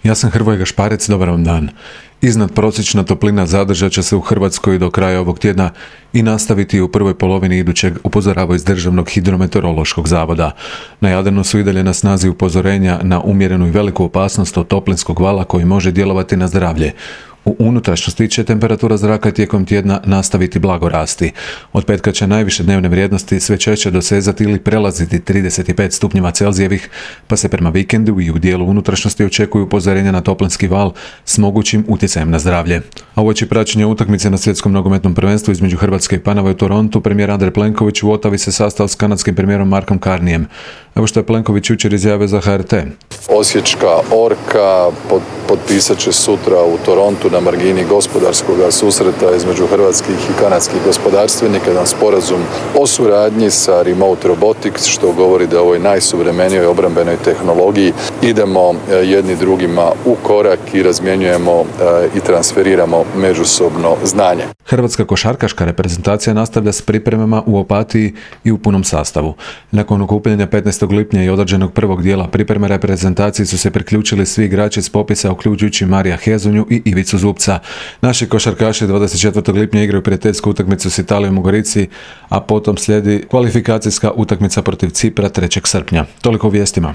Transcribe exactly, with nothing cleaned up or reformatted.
Ja sam Hrvoje Gašparec, dobar vam dan. Iznadprosječna toplina zadržat će se u Hrvatskoj do kraja ovog tjedna i nastaviti u prvoj polovini idućeg, upozoravaju iz Državnog hidrometeorološkog zavoda. Na Jadranu su i dalje na snazi upozorenja na umjerenu i veliku opasnost od toplinskog vala koji može djelovati na zdravlje. U unutrašnjosti će temperatura zraka tijekom tjedna nastaviti blago rasti. Od petka će najviše dnevne vrijednosti sve češće dosezati ili prelaziti trideset pet stupnjeva Celzijevih, pa se prema vikendu i u dijelu unutrašnjosti očekuju upozorenja na toplinski val s mogućim utjecajem na zdravlje. A uoči praćenja utakmice na svjetskom nogometnom prvenstvu između Hrvatske i Paname u Torontu, premijer Andrej Plenković u Ottawi se sastao s kanadskim premijerom Markom Carneyem. Evo što je Plenković jučer izjavio za H R T. Osječka orka potpisat će sutra u Torontu na margini gospodarskog susreta između hrvatskih i kanadskih gospodarstvenika jedan sporazum o suradnji sa Remote Robotics, što govori da u ovoj najsuvremenijoj obrambenoj tehnologiji idemo jedni drugima u korak i razmjenjujemo i transferiramo međusobno znanje. Hrvatska košarkaška reprezentacija nastavlja s pripremama u Opatiji i u punom sastavu. Nakon okupljanja petnaestog lipnja i određenog prvog dijela pripreme reprezentaciji su se priključili svi igrači s popisa, uključujući Marija Hezonju i Ivicu Zubca. Naši košarkaši dvadeset četvrtog lipnja igraju prijateljsku utakmicu s Italijom u Gorici, a potom slijedi kvalifikacijska utakmica protiv Cipra trećeg srpnja. Toliko u vijestima.